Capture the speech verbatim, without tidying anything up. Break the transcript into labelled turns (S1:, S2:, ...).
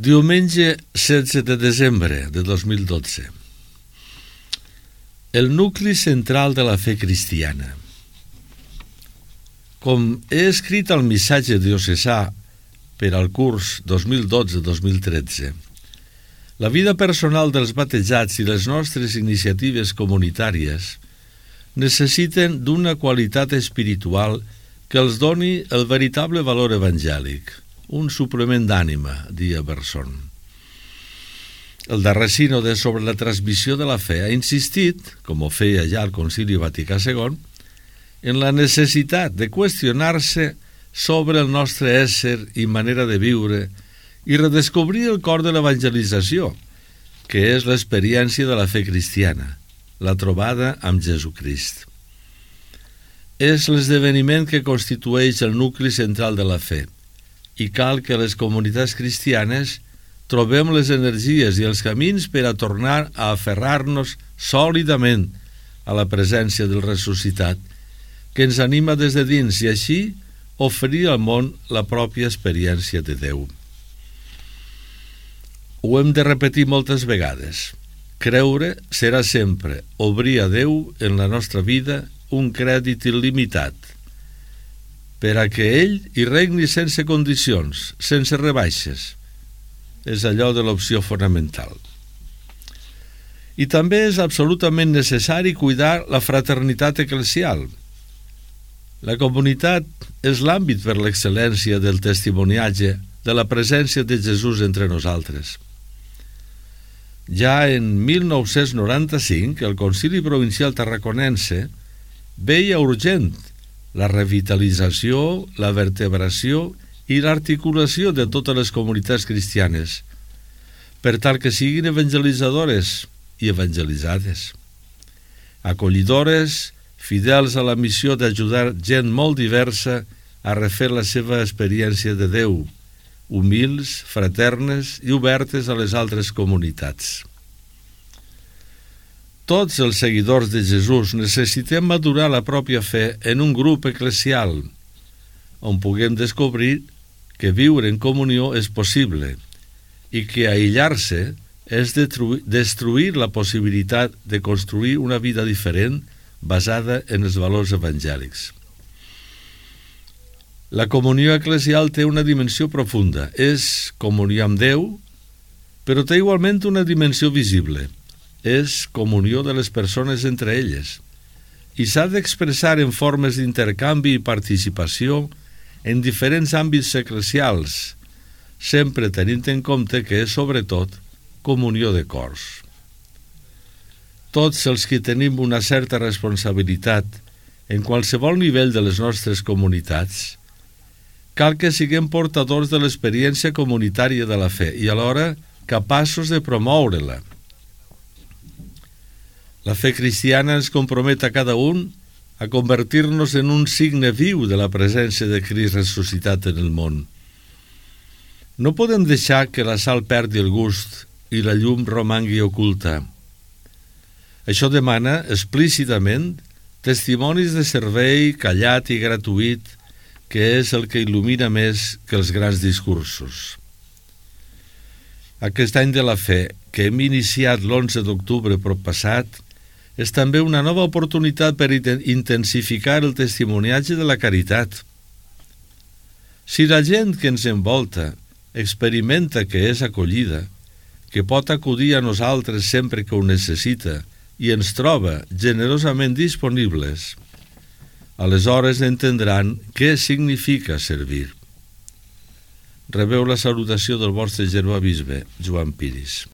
S1: Diumenge setze de desembre de dos mil dotze. El nucli central de la fe cristiana. Com he escrit al missatge diocesà per al curs dos mil dotze dos mil tretze, la vida personal dels batejats i les nostres iniciatives comunitàries necessiten d'una qualitat espiritual que els doni el veritable valor evangèlic, un suplement d'ànima, dia Berson. El darrer sínode sobre la transmissió de la fe ha insistit, com ho feia ja el Concili Vaticà segon, en la necessitat de qüestionar-se sobre el nostre ésser i manera de viure i redescobrir el cor de l'evangelització, que és l'experiència de la fe cristiana, la trobada amb Jesucrist. És l'esdeveniment que constitueix el nucli central de la fe i cal que les comunitats cristianes trobem les energies i els camins per a tornar a aferrar-nos sòlidament a la presència del ressuscitat, que ens anima des de dins i així oferir al món la pròpia experiència de Déu. Ho hem de repetir moltes vegades. Creure serà sempre obrir a Déu en la nostra vida un crèdit il·limitat, per a que ell hi regni sense condicions, sense rebaixes. És allò de l'opció fonamental. I també és absolutament necessari cuidar la fraternitat eclesial. La comunitat és l'àmbit per l'excel·lència del testimoniatge de la presència de Jesús entre nosaltres. Ja en mil nou-cents noranta-cinc, el Concili Provincial Tarraconense veia urgent la revitalització, la vertebració i l'articulació de totes les comunitats cristianes, per tal que siguin evangelitzadores i evangelitzades, acollidores, fidels a la missió d'ajudar gent molt diversa a refer la seva experiència de Déu, humils, fraternes i obertes a les altres comunitats. Tots els seguidors de Jesús necessitem madurar la pròpia fe en un grup eclesial, on puguem descobrir que viure en comunió és possible i que aïllar-se és destruir la possibilitat de construir una vida diferent basada en els valors evangèlics. La comunió eclesial té una dimensió profunda, és comunió amb Déu, però té igualment una dimensió visible, és comunió de les persones entre elles, i s'ha d'expressar en formes d'intercanvi i participació en diferents àmbits eclesials, sempre tenint en compte que és, sobretot, comunió de cors. Tots els que tenim una certa responsabilitat en qualsevol nivell de les nostres comunitats, cal que siguem portadors de l'experiència comunitària de la fe i alhora capaços de promoure-la. La fe cristiana ens compromet a cada un a convertir-nos en un signe viu de la presència de Crist ressuscitat en el món. No podem deixar que la sal perdi el gust i la llum romangui oculta. Això demana explícitament testimonis de servei callat i gratuït, que és el que il·lumina més que els grans discursos. Aquest any de la fe, que hem iniciat l'onze d'octubre proppassat, és també una nova oportunitat per intensificar el testimoniatge de la caritat. Si la gent que ens envolta experimenta que és acollida, que pot acudir a nosaltres sempre que ho necessita i ens troba generosament disponibles, aleshores entendran què significa servir. Rebeu la salutació del vostre germà bisbe, Joan Piris.